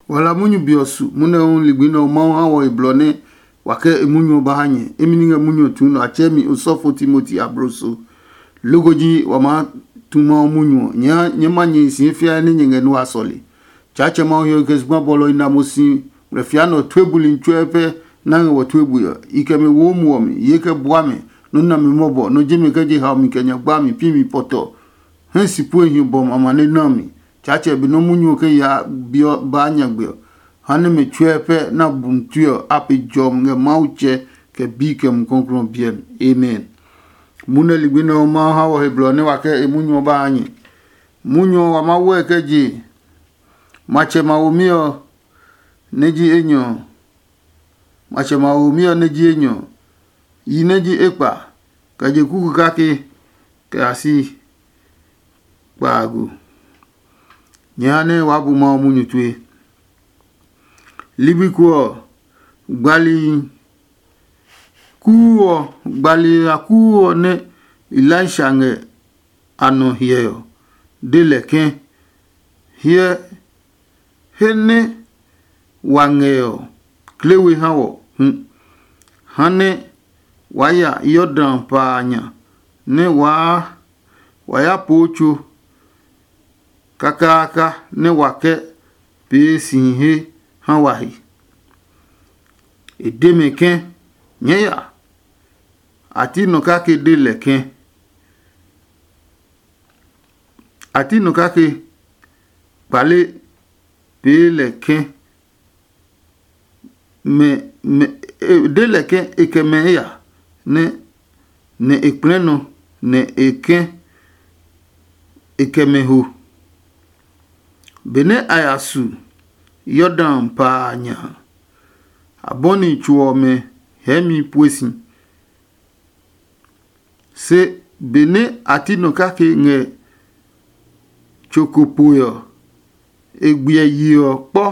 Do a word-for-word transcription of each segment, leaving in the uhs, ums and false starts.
Wa la munyu be ɔ su, munɛ hu ligbi nɛ ɔ Mawu ha wɔ he blɔ nɛ wa kɛ e munyu ɔ ba ha nyɛ. Emi ní ngɛ munyu ɔ tuu nɔ, a tsɛɛ mi osɔfo Timoti abloso. Loko ji wa maa tu Mawu munyu ɔ, nyɛɛ ma nyɛ hi si he fiae nɛ nyɛ ngɛ nua sɔle. Tsaatsɛ Mawu hiɔwe kɛ zugba bɔlɔ i na mo si ngmlɛfia nɛ ɔ tue buli tsuɛ pɛ nɛ a ngɛ wɔ tue bui ɔ. I kɛ mɛ wo muɔ mi, ye kɛ bua mɛ, nɔ́ na mi mɔbɔ, nɔ́ ji mɛ kɛ je haomi kɛ nyagba mi pi mi pɔtɔ. Hɛ si pue hi bɔm amane na mi. Tsaatsɛ be nɔ́ munyu ɔ kɛ yaa bi ɔ baa nyagbe ɔ, ha nɛ mɛ tsuɛ pɛ na bum tue ɔ a pe jɔmi ngɛ Mawu tsɛ kɛ bi kɛ Mumi Klɔuklɔu ɔ biɛ mi. Amen. Munɛ ligbi nɛ ɔ Mawu ha wɔ he blɔ nɛ wa kɛ e munyu ɔ ba ha nyɛ. Munyu ɔ wa Mawu ɛ kɛ je matsɛ mawomi ɔ nɛ ji enyɔ ɔ. Matsɛ mawomi ɔ nɛ ji enyɔ ɔ, yi nɛ ji ekpa, kɛ je kuku kake kɛ ya si kpaago. Nyɛɛ ha nɛ waa bu Mawu munyu tue. Ligbi ko ɔ, gbali kuu ɔ, gbali a kuu ɔ nɛ Elisha ngɛ a nɔ hyɛ ɔ, de lɛ ke, hyɛ he nɛ wa ngɛ ɔ, kle we ha wɔ hu, ha nɛ waa ya Yordan pa a nya nɛ waa wa ya poo tso kakaaka nɛ wa kɛ pee si he ha wa he. E de mɛ ke, nyɛɛ ya. A ti nɔ kake de lɛ ke, a ti nɔ kake kpale pee lɛ ke, mɛ mɛ e de lɛ ke e kɛ mɛ ya nɛ nɛ e kplɛ nɔ nɛ e ke e kɛ mɛ ho. Benɛ a ya su Yordan pa a nya a, a bɔni tso ɔmɛ hɛɛmi pue si. Se benɛ a ti nɔ kake ngɛ tso ko poe ɔ, e gbiɛ yi ɔ kpɔ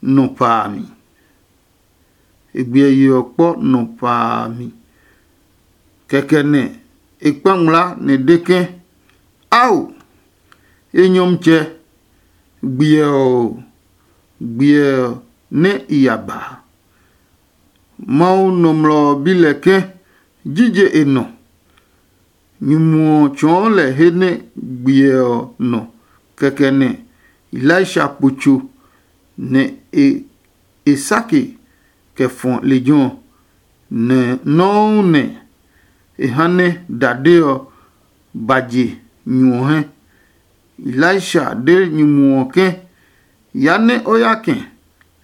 nɔ pa a mi. E gbiɛ yi ɔ kpɔ nɔ pa a mi. Kɛkɛ nɛ e kpa ngmlaa nɛ e de ke, ao, enyɔmtsɛ, gbiɛ ɔ, gbiɛ ɔ nɛ i ya ba. Mawu nɔmlɔ ɔ bi lɛ ke, jije e nɔ? Nyumu ɔ tsɔɔ lɛ he nɛ gbiɛ ɔ nɔ. Kɛkɛ nɛ Elisha po tso nɛ e e sake kɛ fɔ lejɛ ɔ, nɛ nɔuu nɛ e ha nɛ dade ɔ ba je nyu ɔ hɛ. Elisha de nyumu ɔ ke, ya nɛ o ya kɛ,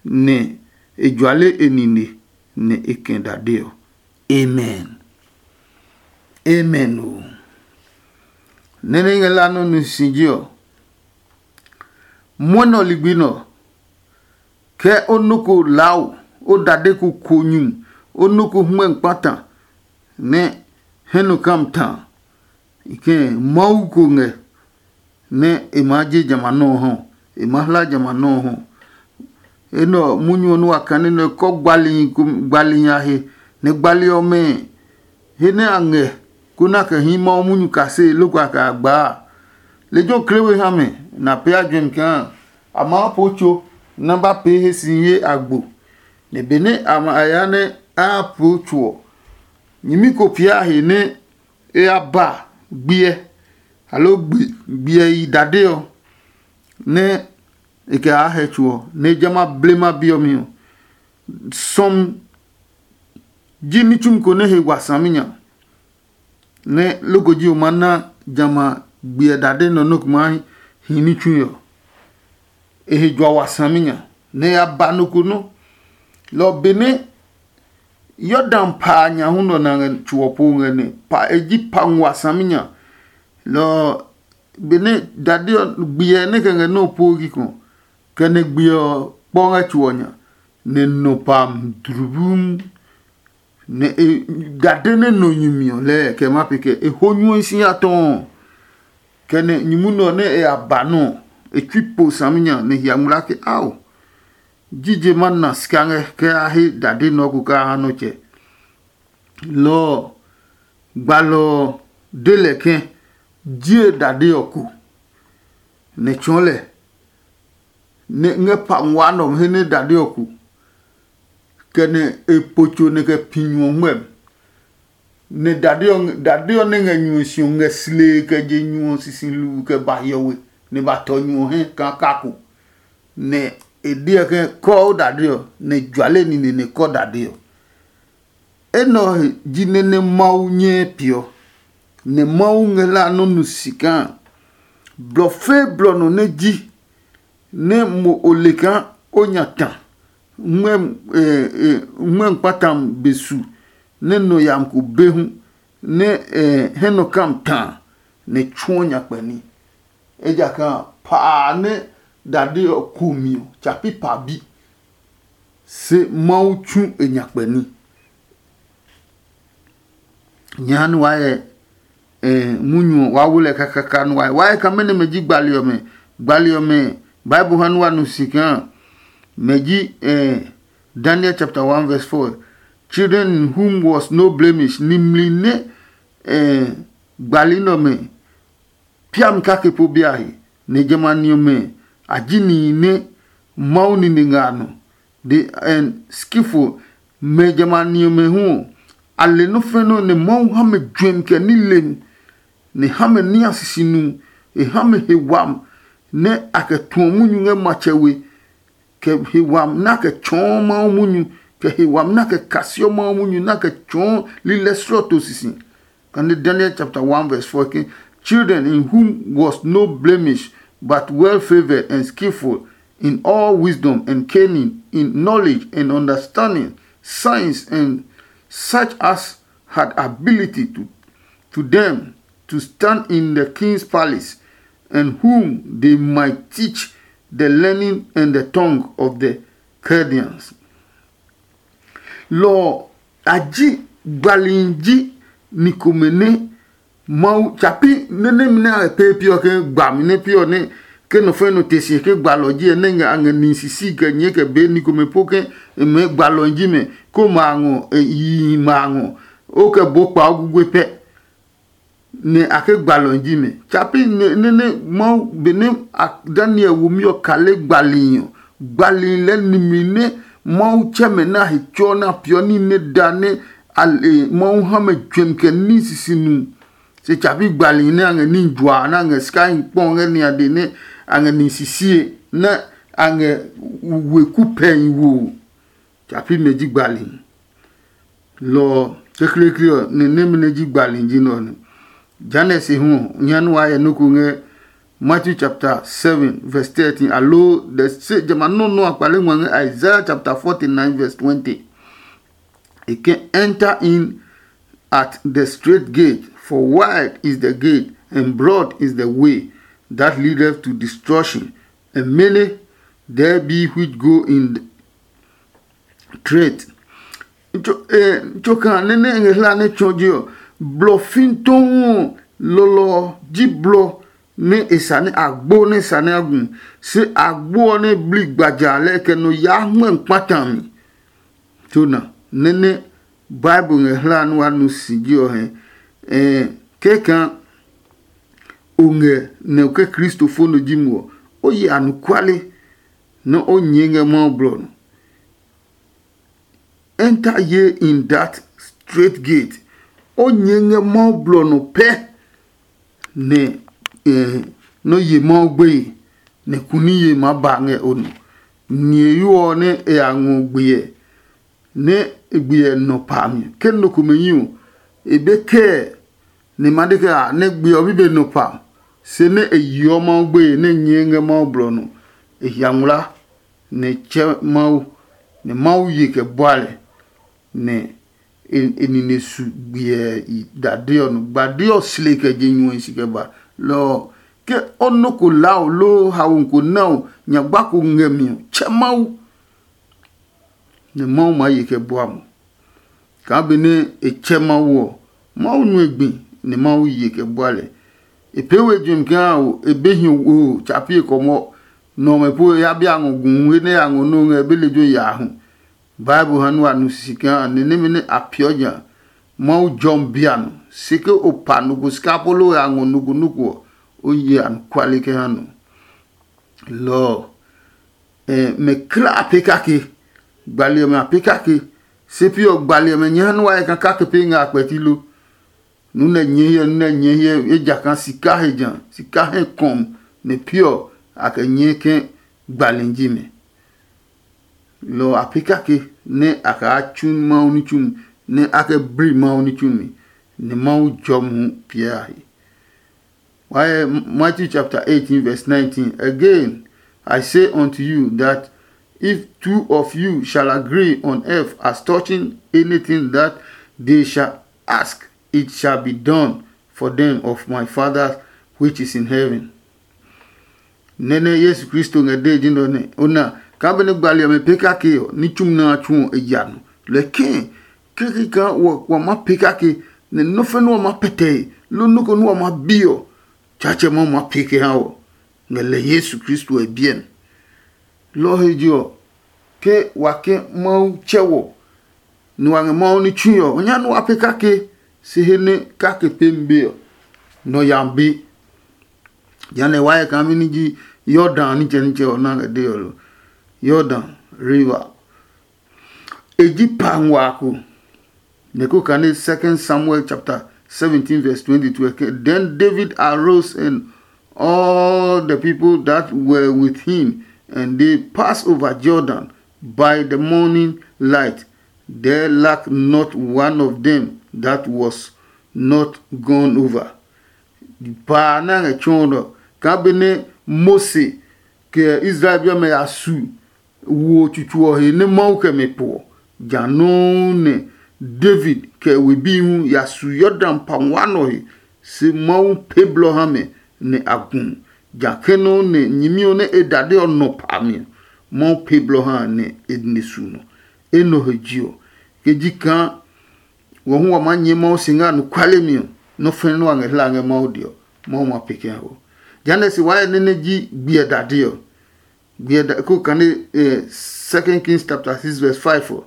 nɛ e juale e nine, nɛ e kɛ dade ɔ. Amen. Amen o. Nɛ́ nɛ ngɛ la nɔ nu si ji ɔ, mwɔnɛ ɔ ligbi nɛ ɔ, ke o nɔ ko lao, o dade ko ko nyumu, o nɔ ko hmɛ kpata nɛ hɛ nɔ kam ta, i kɛ Mawu ko ngɛ nɛ e maa je jamɛ a nɔ́ ɔ hɔ, e maa hla jamɛ a nɔ́ ɔ hɔ. Enɛ ɔ, munyu ɔ nɛ wa kane nɛ kɔ gbalihi gbalihi a he, nɛ gbali ɔmɛ he nɛ a ngɛ kona kɛ hii Mawu munyu kasee loko a kɛ a gbaa a, lejɛ ɔ kle we ha mɛ, nɛ a pee a juɛmi kaa a maa poo tso nɛ a ba pee he si ye agbo. Nɛ benɛ a ma a ya nɛ a ya poo tso ɔ, nyɛmi ko pia a he nɛ e ya ba gbiɛ, aloo gbiɛ yi dade ɔ, nɛ e kɛ aa hɛ tso ɔ, nɛ e jamɛ a blema be ɔ mi ɔ, sɔmi ji ní tsumi ko nɛ he wa saminya, nɛ loko ji o ma na jamɛ a gbiɛ dade nɔ nɔ́ ko maa hi ní tsui ɔ. E he jua wa saminya, nɛ e ya ba nɔ ko nɔ́. Lɔ ɔ benɛ Yordan pa a nya hu nɔ nɛ a ngɛ tso ɔ po ngɛ nɛ pa e ji pa ngua saminya. Lɔ ɔ benɛ dade ɔ gbiɛ nɛ kɛ ngɛ nɔ́ ɔ po kikɔ, kɛ nɛ gbiɛ ɔ kpɔ ngɛ tso ɔ nya, nɛ nɔ pa dlubum. Nɛ e dade nɛ nɔ nyumi ɔ lɛɛ kɛ ma pe kɛ e ho nyuɛ si ya tɔɔ. Kɛ nɛ nyumu nɛ ɔ nɛ e ya ba nɔ ɔ, e tsui po saminya nɛ hia ngmlaa ke ao. Jije ma na sika ngɛ kɛ a he dade nɔ ko kaa ha nɔ tsɛ. Lɔ ɔ, gbalɔ ɔ de lɛ ke jie dade ɔ ko, nɛ tsɔɔ lɛ nɛ ngɛ pa nguaa nɛ ɔ he nɛ dade ɔ ku, kɛ nɛ e po tso nɛ kɛ pi nyu ɔ ngmɛmi. Nɛ dade ɔ dade ɔ nɛ ngɛ nyu ɔ si ɔ ngɛ slee kɛ je nyu ɔ sisi luu kɛ ba hiɔwe, nɛ ba tɔ nyu ɔ hɛ kaa kako. Nɛ e deɔ ke kɔɔ dade ɔ, nɛ juale nine nɛ kɔ dade ɔ. Enɛ ɔ he ji nɛ nɛ Mawu nyɛɛ peeɔ, nɛ Mawu ngɛ hlaa nɔ́ nu si kaa blɔ fɛɛ blɔ nɔ nɛ ji nɛ mo o le kaa o nya ta ngmɛmi kpata be su nɛ nɔ yami ko be hu, nɛ hɛ nɔ kam ta a, nɛ tsuɔ nyakpɛ ní. Ejakaa pa a nɛ dade ɔ ku mi ɔ, tsa pi pa bi, se Mawu tsu e nyakpɛ ní. Nyɛ ha nɛ waa hyɛ eh, munyu ɔ, waa wo lɛ kakaka nɛ waa hyɛ. Waa hyɛ kaa mɛnɔ mɛ ji gbali ɔmɛ. Gbali ɔmɛ, Bible ha nɛ wa nu si kaa mɛ ji eh, Daniel chapter one verse four. Children in whom was no blemish. Nimli nɛ eh, gbali nɛ ɔmɛ piami kake po biahi, nɛ jamɛ a ni ɔmɛ a ji nihi nɛ Mawu nine ngɛ a nɔ. The and skillful, mɛ jamɛ a ni ɔmɛ hu ɔ, a le nɔ́ fɛnɔ nɛ Mawu ha mɛ juɛmi kɛ nilemi, nɛ ha mɛ ní a sisi nu. E ha mɛ he wami nɛ a kɛ tuɔ munyu ngɛ matsɛ we, kɛ he wami nɛ a kɛ tsɔɔ Mawu munyu, kɛ he wami nɛ a kɛ kasiɔ Mawu munyu nɛ a kɛ tsɔɔ lilɛ slɔɔto sisi. Kane Daniel chapter one verse four ke, children in whom was no blemish, but well favored and skillful in all wisdom and cunning, in knowledge and understanding, science and such as had ability to, to them to stand in the king's palace, and whom they might teach the learning and the tongue of the Chaldeans. Lɔ ɔ, a ji gbalihi ji ni komɛ nɛ Mawu tsa pi nɛ nɛmi nɛ a ngɛ pee pi ɔ ke gbami nɛ pi ɔ nɛ ke nɔ fɛ̃ nɔ te si ke gbalɔ ji ɛ nɛ ngɛ a ngɛ nihi sisi kɛ nyɛɛ kɛ bee ni komɛ po ke e mɛɛ gbalɔ ji mɛ, ko ma a ngɔ yihi ma a ngɔ, o kɛ bo kpa o gugbe pɛ. Nɛ a ke gbalɔ ji mɛ. Tsa pi nɛ nɛ Mawu benɛ Daniel womi ɔ kale gbalihi ɔ, gbalihi lɛɛ nimli nɛ Mawu tsɛ mɛ nɛ a he tsuɔ nɛ a peeɔ ní nɛ da nɛ a le Mawu ha mɛ juɛmi kɛ ní sisi nu. Se tsa pi gbalihi nɛ a ngɛ ní jua nɛ a ngɛ sikahi kpɔ ngɛ niade nɛ a ngɛ ní sisie nɛ a ngɛ weku pɛhi wo. Tsa pi mɛ ji gbalihi. Lɔ ɔ kekleekle ɔ nɛ nɛmɛ nɛ ji gbalihi ji nɛ ɔ nɛ. Jehanɛ se hu ɔ, nya nɛ waa hyɛ nɔ́ ko ngɛ Matthew chapter seven verse thirteen, aloo the se jamɛ a nɔ́ nɔ́ a kpale ngua ngɛ Isaiah chapter forty-nine verse twenty. E ke, enter in at the straight gate, for wide is the gate and broad is the way that leadeth to destruction, and many there be which go in threat. Tsoka nɛ nɛ e ngɛ hla nɛ tsɔ je ɔ, blɔ fitohu ɔ, lɔlɔ ɔ ji blɔ nɛ e sa nɛ a gbo nɛ sa nɛ a gu, se a gbo ɔ nɛ bli gbaja lɛ kɛ nɔ yaa hmɛ kpata mi. Tona nɛ nɛ Bible ngɛ hla nɛ wa nu si ji ɔ hɛ. Kɛkaa o ngɛ nɛ o ke kristofo nɔ ji mo ɔ, o ye anɔkuale nɛ o nyɛɛ ngɛ Mawu blɔ nɔ. Enter ye in that straight gate. O nyɛɛ ngɛ Mawu blɔ nɔ pɛ, nɛ nɔ ye Mawu gbeye, nɛ kuniye maa ba ngɛ o nɔ. Niheyo ɔ nɛ e ya ngɔ gbe ɛ, nɛ e gbe ɛ nɔ pa mi. Ke nɔ komɛ yi ɔ, e be kɛɛ nɛ e ma de kɛ a nɛ gbe ɔ bi be nɔ pa, se nɛ e yeɔ Mawu gbeye nɛ e nyɛɛ ngɛ Mawu blɔ nɔ. E hia ngmlaa, nɛ e tsɛ Mawu, nɛ Mawu ye kɛ bua lɛ, nɛ e nine su gbiɛ dade ɔ nɔ. Gbade ɔ sle kɛ je nyuɔhi si kɛ ba. Lɔ ɔ, ke o nɔ́ ko laa o loo haomi ko na o, nyagba ko ngɛ mi ɔ, tsɛ Mawu, nɛ Mawu maa ye kɛ bua mo. Kaa benɛ e tsɛ Mawu ɔ, Mawu nue gbi, nɛ Mawu ye kɛ bua lɛ. E pee we juɛmi kaa o, e be hiɔ wo tsa pi e kɔmɔ nɛ ɔmɛ po e ya bi a ngɔ gu hu he nɛ ya ngɔ nɔ́ ngɛ e be lejɛ yaa hu. Bible ha nɛ wa nu sisi kaa ni nɛmɛ nɛ a peeɔ nya Mawu jɔmi bia nɔ. Se ke o pa nɔ ko sika apolo ngɛ a ngɔ nɔ ko nɔ ko ɔ, o ye anɔkuale kɛ ha nɔ. Lɔ ɔ, mɛ kla a pee kake. Gbali ɔmɛ a pee kake. Se pi ɔ, gbali ɔmɛ nyɛ ha nɛ wa yɛ kaa kake pee ngɛ a kpɛti lo. Nu nɛ nyɛ hyɛ, nu nɛ nyɛ hyɛ, ejakaa sika he ja, sika hɛ kɔm nɛ pi ɔ, a kɛ nyɛɛ ke gbali ji mɛ. Lɔ ɔ a pee kake nɛ a kaa tsu Mawu ní tsumi, nɛ a kɛ bli Mawu ní tsumi, nɛ Mawu jɔmi hu piɛ a he. Why, Matthew chapter eighteen, verse nineteen. Again, I say unto you that if two of you shall agree on earth as touching anything that they shall ask, it shall be done for them of my Father which is in heaven. Nɛnɛ Yesu Kristo ngɛ dee ji nɔ nɛ o na kaa benɛ gbali ɔmɛ pee kake ɔ, ní tsumi nɛ a tsu ɔ e ya nɔ. Lɛkɛ kɛkɛ kaa wa ma pee kake, nɛ nɔ́ fɛ nɛ wa ma pɛtɛe, loo nɔ́ ko nɛ wa ma bi ɔ, Tsaatsɛ Mawu ma pee kɛ ha wɔ ngɛ lɛ Yesu Kristo ɔ biɛ mi. Lɔ ɔ he je ɔ, ke wa ke Mawu tsɛ wɔ, nɛ wa ngɛ Mawu ní tsui ɔ, o nya nɛ wa pee kake, se he nɛ kake pemi be ɔ, nɔ ya be. Jehanɛ wa yɛ kaa mɛni ji Yordan nitsɛnitsɛ ɔ na ngɛ dee ɔ lo? Yordan river. E ji pa nguaa ko. Nɛ ko kane Second Samuel chapter seventeen verse twenty-two eke, then David arose and all the people that were with him, and they passed over Jordan by the morning light. There lacked not one of them that was not gone over. Paa nɛ a ngɛ tsɔɔ nɔ kaa benɛ Mose kɛ Israel bi ɔmɛ ya su wo tsutsu ɔ he nɛ Mawu kɛ mɛ po ɔ, ja nɔuu nɛ David kɛ e we bi hu ya su Yordan pa nguaa nɔ he, se Mawu pee blɔ ha mɛ nɛ a gu. Ja kɛ nɔuu nɛ nyɛmi ɔ nɛ e dade ɔ nɔ pa mi ɔ, Mawu pee blɔ ha nɛ e ne su nɔ. Enɛ ɔ he je ɔ, ke ji kaa wɔ hu wa maa nyɛɛ Mawu si ngɛ anɔkuale mi ɔ, nɔ́ fɛ̃ nɛ wa ngɛ hla ngɛ Mawu de ɔ, Mawu ma pee kɛ ha wɔ. Jehanɛ se waa yɛ nɛ nɛ ji gbiɛ dade ɔ. Gbiɛ da ko kane eh, Second Kings chapter six verse five ɔ.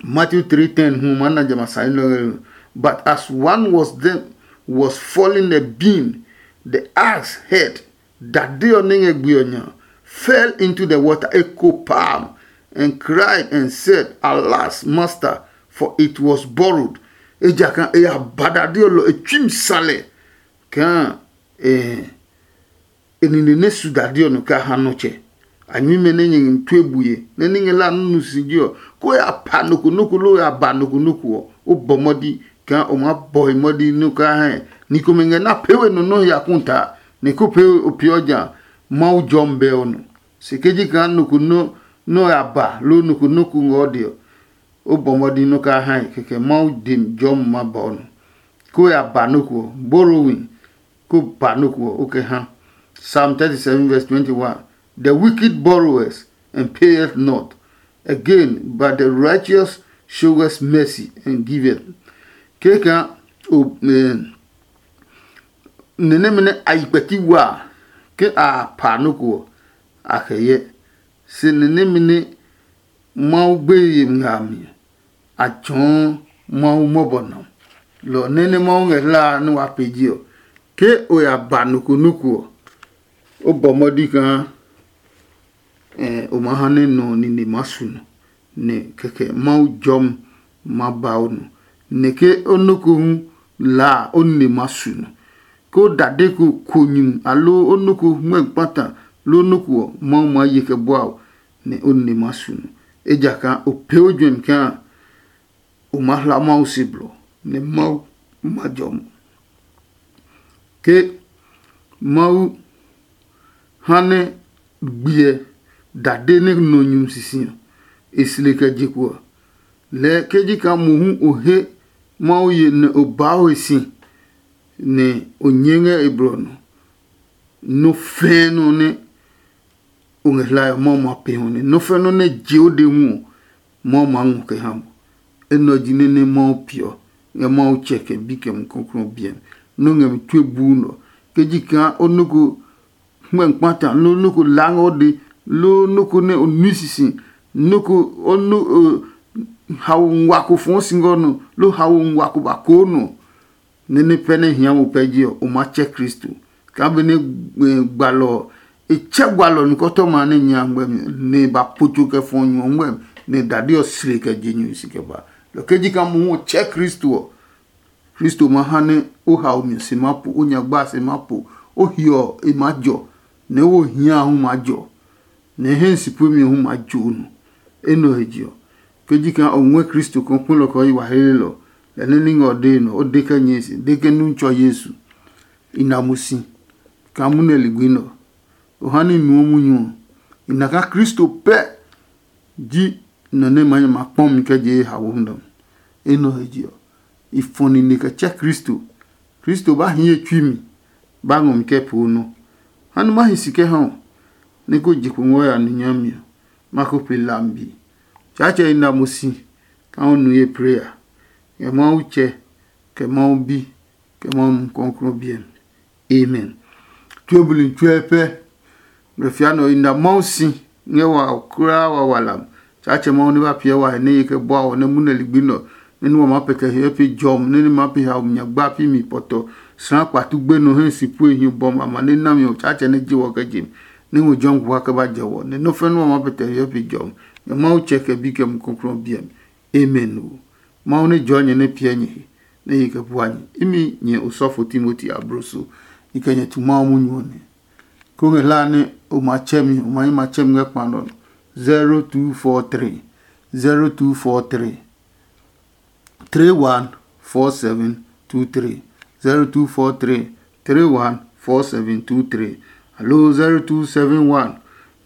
Matthew three ten hu ma na jama sane nɔ ngɛ. But as one was them was falling a beam, the axe head dade ɔ nɛ ngɛ gbe ɔ nya fell into the water, e ko palm and cried and said, "Alas, master, for it was borrowed." Ejakaa e ya ba dade ɔ lɔ e tsui mi sa lɛ kaa eh, e nine nɛ su dade ɔ nɔ kɛ a ha nɔ tsɛ. A nyuimɛ nɛ nyɛ ngɛ tue bue nɛ ní ngɛ la nunu si ji ɔ, ko ya pa nɔ ko nɔ ko loo ya ba nɔ ko nɔ ko ɔ, o bɔ mɔdi kaa o maa bɔ he mɔdi nɛ o kaa hɛ. Ni komɛ ngɛ na pee we nɔ nɔ́ he akuta, nɛ ko pee o peeɔ ja Mawu jɔmi bɛ ɔ nɔ. Se ke ji kaa nɔ ko nɔ nɛ o ya ba loo nɔ ko nɔ ko ngɛ o de ɔ, o bɔ mɔdi nɛ o kaa hɛ kɛkɛ Mawu dem jɔmi ma ba o nɔ. Ko ya ba nɔ ko ɔ, borrowing, ko ba nɔ ko ɔ, o kɛ ha. Psalm thirty-seven verse twenty-one. The wicked borroweth and payeth not again, but the righteous showeth mercy and giveth. Keka o eh, nɛnɛmɛ nɛ a yi kpɛti wa ke a pa nɔ ko ɔ, a kɛ yɛ. Se nɛnɛmɛ nɛ Mawu gbeye ngɛ a mi a tsɔɔ Mawu mɔbɔ nɔ. Lɔ nɛ nɛ Mawu ngɛ hlaa nɛ wa pee ji ɔ, ke o ya ba nɔ ko nɔ ko ɔ, o bɔ mɔdi kaa o ma ha nɛ nɔ nine ma su nɔ, nɛ kɛkɛ Mawu jɔmi ma ba o nɔ, nɛ ke o nɔ ko hu laa o nine ma su nɔ. Ke o dade ko ko nyumu aloo o nɔ ko hmɛ kpata loo nɔ ko ɔ, Mawu maa ye kɛ bua o, nɛ o nine ma su nɔ. Ejakaa o pee o juɛmi kaa o maa hla Mawu se blɔ, nɛ Mawu ma jɔ mo. Ke Mawu ha nɛ gbiɛ dade nɛ nɔ nyumu sisi ɔ, e sle kɛ je kpo ɔ, lɛɛ ke ji kaa mohu o he Mawu ye nɛ o baa o he si, nɛ o nyɛɛ ngɛ e blɔ nɔ. Nɔ fɛɛ nɔ nɛ o ngɛ hlae ɔ, Mawu ma pee hɔ nɛ nɔ fɛɛ nɔ nɛ je o de hu ɔ, Mawu maa ngɔ kɛ ha mo. Enɛ ɔ ji nɛ nɛ Mawu peeɔ ngɛ Mawu tsɛ kɛ bi kɛ Mumi Klɔuklɔu ɔ biɛ mi. Nɔ́ ngɛ mi tue buu nɛ ɔ. Ke ji kaa o nɔ́ ko hmɛ kpata, loo nɔ́ ko laa ngɛ o de, loo nɔ́ ko nɛ o nui sisi, nɔ́ ko o nɔ́ hawo ngua ko fɔɔ si ngɛ o nɔ, loo hawo ngua ko ba koo nɔ. Nɛ ní pɛ nɛ hia mo pɛ ji ɔ, o maa tsɛ Kristo. Kaa benɛ gbalɔ ɔ E tsɛ gwalɔ nikɔtɔma nɛ nya ngmɛmi, nɛ e ba po tso kɛ fɔ nyu ɔ ngmɛmi, nɛ dade ɔ sle kɛ je nyu si kɛ ba. Lɔ ke ji kaa mohu ɔ tsɛ Kristo ɔ, Kristo ma ha nɛ o haomi ɔ se ma po, o nyagba a se ma po, o hiɔ ɔ e maa jɔ, nɛ o hiaa hu maa jɔ, nɛ e hɛ si puemi ɔ hu maa jo o nɔ. Enɛ ɔ he je ɔ, ke ji kaa o ngɔɛ Kristo kaa o kpelɔ kɛ o yi wa heelelɔ, lɛ nɛ ní ngɛ ɔ dee nɔ, o de kɛ nyɛe si, de ke nu tsɔ Yesu. I na mo si kaa munɛ ligbi nɛ ɔ, o ha ní nuɔ munyu ɔ. I na kaa Kristo pɛ ji nɔ nɛ ma nyɛ ma kpɔ mi kɛ je ye haomi nɛ ɔ. Enɛ ɔ he je ɔ, i fɔ nine kɛ tsɛ Kristo. Kristo ba hi ye tsui mi, ba ngɔ mi kɛ poo nɔ. Ha nɛ ma hi si kɛ ha ɔ, nɛ ko je kpo ngɔ ya nu nyami ɔ, ma ko pe lambi. Tsaatsɛ i na mo si kaa o nu ye pray a, ngɛ Mawu Tsɛ, kɛ Mawu Bi, kɛ Mawu Mumi Klɔuklɔu biɛ mi. Amen. Tue buli tsuɛ pɛ. Blɛ fia nɔ i na Mawu si ngɛ wa kulaa wa wa lam. Tsaatsɛ Mawu nɛ ba piɛ wa he nɛ ye kɛ bua wɔ nɛ munɛ ligbi nɔ, nɛ ní wa maa pɛ kɛ hiɛ pe jɔmi, nɛ ní maa pe haomi nyagba pi mi pɔtɔ. Sra kpatu gbenɔ hɛ si pue hi bɔm amane nami ɔ, Tsaatsɛ nɛ je wɔ kɛ je mi, nɛ ngɔ jɔmi kuha kɛ ba jɛ wɔ, nɛ nɔ́ fɛ́ nɛ wa maa pɛ kɛ hiɛ pe jɔmi. Ngɛ Mawu Tsɛ kɛ Bi kɛ Mumi Klɔuklɔu biɛ mi. Amen o. Mawu nɛ jɔɔ nyɛ nɛ piɛ nyɛ he, nɛ ye kɛ bua nyɛ. Imi nyɛ osɔfo Timoti abloso, i kɛ nyɛ tu Mawu munyu ɔ nɛ. Ko ngɛ hlaa nɛ o ma tsɛ mi, o ma yi ma tsɛ mi ngɛ kpa nɔ. Zero two four three, zero two four three, three one four seven two three, zero two four three, three one four seven two three, aloo zero two seven one,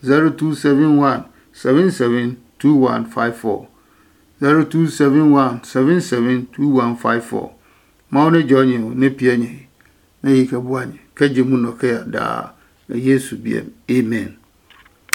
zero two seven one, seven seven two one five four. Zero two seven one seven seven two one five four. Mawu nɛ jɔɔ nyɛ ɔ nɛ piɛ nyɛ he, nɛ ye kɛ bua nyɛ kɛ je munɔ kɛ ya daa, ngɛ Yesu biɛ mi. Amen.